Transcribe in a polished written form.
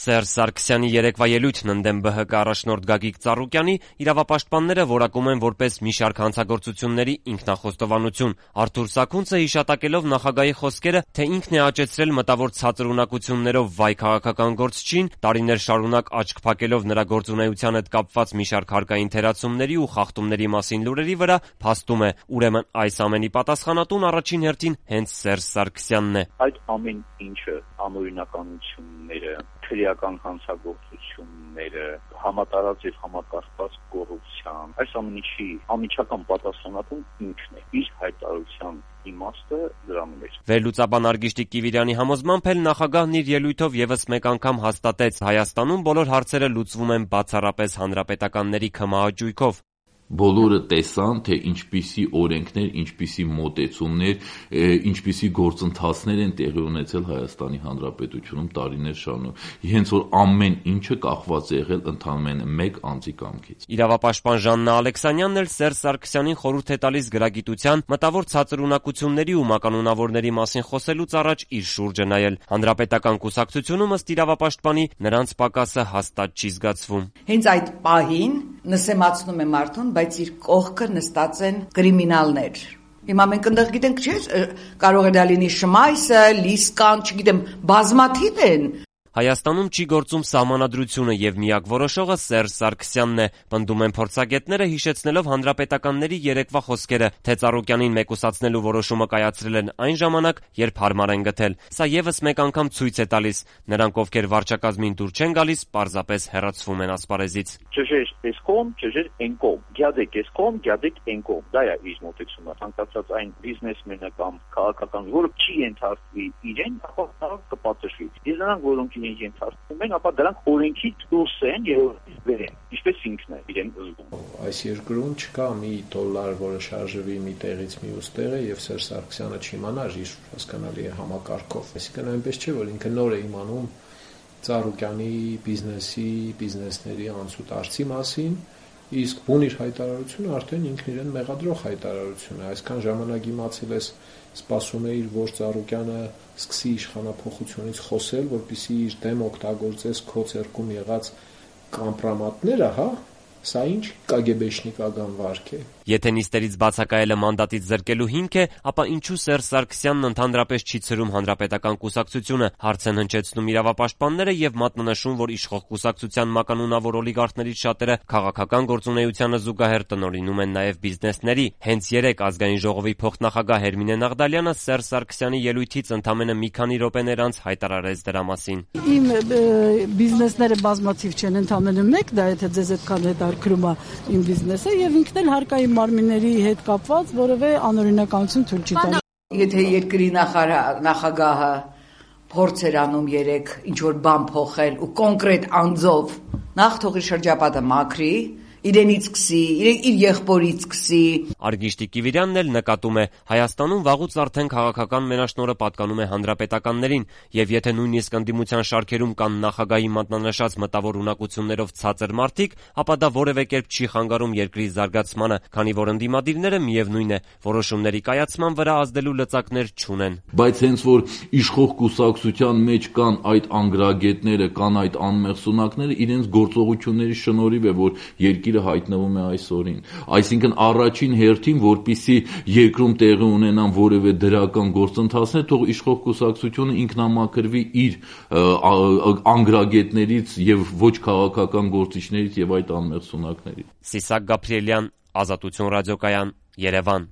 Սերժ Սարգսյանի երեկվա ելույթն ընդդեմ ԲՀԿ առաջնորդ Գագիկ Ծառուկյանի իրավապաշտպանները որակում են որպես մի շարք հանցագործությունների ինքնախոստովանություն։ Արթուր Սաքունցը հիշատակելով նախագահի խոսքերը, թե ինքն է աճեցրել մտավոր ցածր ունակություններով վայ քաղաքական գործչին, տարիներ շարունակ աչք փակելով նրա գործունեության հետ կապված մի շարք հարկային թերացումների ու խախտումների մասին լուրերի վրա, փաստում է, ուրեմն այս ամենի պատասխանատուն առաջին հերթին հենց Սերժ Սարգսյանն է։ Այդ ամեն ինչը, անօրինականությունները, քրեական հանցագործությունները, համատարած եւ համակարգված կոռուպցիան, այս ամեն ինչի անմիջական պատասխանատուն ինքն է։ Իր հայտարարության իմաստը դրանում է։ Վերլուծաբան Արգիշտիկ Կիվիրյանի համոզմամբ էլ նախագահն իր ելույթով եւս մեկ անգամ հաստատեց՝ Հայաստանում բոլոր հարցերը լուծվում են բացառապես հանրապետականների քմահաճույքով։ Բոլորը տեսան, թե ինչպիսի օրենքներ, ինչպիսի մոտեցումներ, ինչպիսի գործընթացներ են տեղի ունեցել Հայաստանի Հանրապետությունում տարիներ շարունակ։ Հենց որ ամեն ինչը կախված է եղել ընդամենը մեկ անձի կամքից։ Իրավապաշտպան Ժաննա Ալեքսանյանն էլ Սերժ Սարգսյանին խորհուրդ է տալիս գրագիտության, մտավոր ցածր ունակությունների ու մականունավորների մասին խոսելուց առաջ իր շուրջը նայել։ Հանրապետական կուսակցությունում ըստ իրավապաշտպանի նրանց պակասը հաստատ չի զգացվում։ Հենց այդ պահին նսեմացնում է մարդուն, բայց իր կողքը նստած են կրիմինալներ։ Հիմա մենք ընդեղ գիտենք, չէ՞, կարող է դա լինի Շմայսը, Լիսկան, չգիտեմ, բազմաթիվ են։ Հայաստանում չի գործում սահմանադրությունը եւ միակ որոշողը Սերժ Սարգսյանն է, պնդում են փորձագետները, հիշեցնելով հանրապետականների երեկվա խոսքերը, թե Ծառուկյանին մեկուսացնելու որոշումը կայացրել են այն ժամանակ, երբ հարմար են գտել։ Սա եւս մեկ անգամ ցույց է տալիս, նրանք, ովքեր վարչակազմին դուր չեն գալիս, պարզապես հեռացվում են ասպարեզից։ Ճժեր էս կողմ, ճժեր այն կողմ, գյադեք էս կողմ, գյադեք այն կողմ։ Դա է իր մոտեցումը, ցանկացած այն բիզնեսմենը կամ քաղաքական, որը չի ենթարկվի իրեն, ապա նա կպատժվի։ Իսկ նրանք, որոնք ենթարկվում են, ապա դրանք օրենքից դուրս են եւ վերեն, ինչպես ինքն է իրեն զգում։ Այս երկրում չկա մի $, որը շարժվի մի տեղից մյուս տեղը եւ Սերժ Սարգսյանը չիմանար իր հասկանալի է համակարգով։ Այսինքն այնպես չէ, որ ինքը նոր է իմանում Ծառուկյանի բիզնեսների անցուտ արծի մասին, իսկ բուն իր հայտարարությունը արդեն ինքն իրեն մեղադրող հայտարարություն է։ Այսքան ժամանակ իմացել ես, սպասում էիր, որ Ծառուկյանը սկսի իշխանափոխությունից խոսել, որպեսզի իր դեմ օգտագործես քո ձեռքում եղած կամպրոմատները, հա։ Սա ինչ կագեբեշնիկական վարք է։ Եթե նիստերից բացակայելը մանդատից զրկելու հիմք է, ապա ինչու Սերժ Սարգսյանն ընդհանրապես չի ցրում հանրապետական կուսակցությունը, հարց են հնչեցնում իրավապաշտպանները եւ մատնանշում, որ իշխող կուսակցության մականունավոր օլիգարխներից շատերը քաղաքական գործունեությանը զուգահեռ տնօրինում են նաեւ բիզնեսների։ Հենց երեկ Ազգային ժողովի փոխնախագահ Հերմինե Նաղդալյանը Սերժ Սարգսյանի ելույթից ընդամենը մի քանի րոպեներ անց հայտարարեց դրա մասին։ Իմ բիզնեսները բազմաթիվ չեն, ընդամենը մեկ, դա եթե ձեզ այդքան հետաքրքրում է իմ բիզնեսը, եւ ինքն էլ հարկային մարմինների հետ կապված որևէ անօրինականություն թույլ չի տալու։ Եթե երկրի նախագահը փորձ էր անում երեք ինչ որ բան փոխել ու կոնկրետ անձով, նախ թողի շրջապատը մաքրի, իրենից սկսի, իր եղբորից սկսի։ Արգիշտիկ Կիվիրյանն էլ նկատում է, Հայաստանում վաղուց արդեն քաղաքական մենաշնորհը պատկանում է հանրապետականներին, եւ եթե նույնիսկ ընդդիմության շարքերում կան նախագահի մատնանշած մտավոր ունակություններով ցածր մարդիկ, ապա դա որևէ կերպ չի խանգարում երկրի զարգացմանը, քանի որ ընդդիմադիրները միևնույն է, որոշումների կայացման վրա ազդելու լծակներ չունեն։ Բայց հենց որ իշխող կուսակցության մեջ կան այդ անգրագետները, կան այդ անմեղ սունակները, իրենց գործողությունների շնորհիվ է, որ երկիրը հայտնվում է այսօրին։ Այսինքն առաջին հերթին, որպիսի երկրում տեղի ունենան որևէ դրական գործընթացներ, թող իշխող կուսակցությունը ինքնամաքրվի իր անգրագետներից եւ ոչ քաղաքական գործիչներից եւ այդ անմեղ սունակներից։ Սիսակ Գաբրիելյան, Ազատություն ռադիոկայան, Երևան։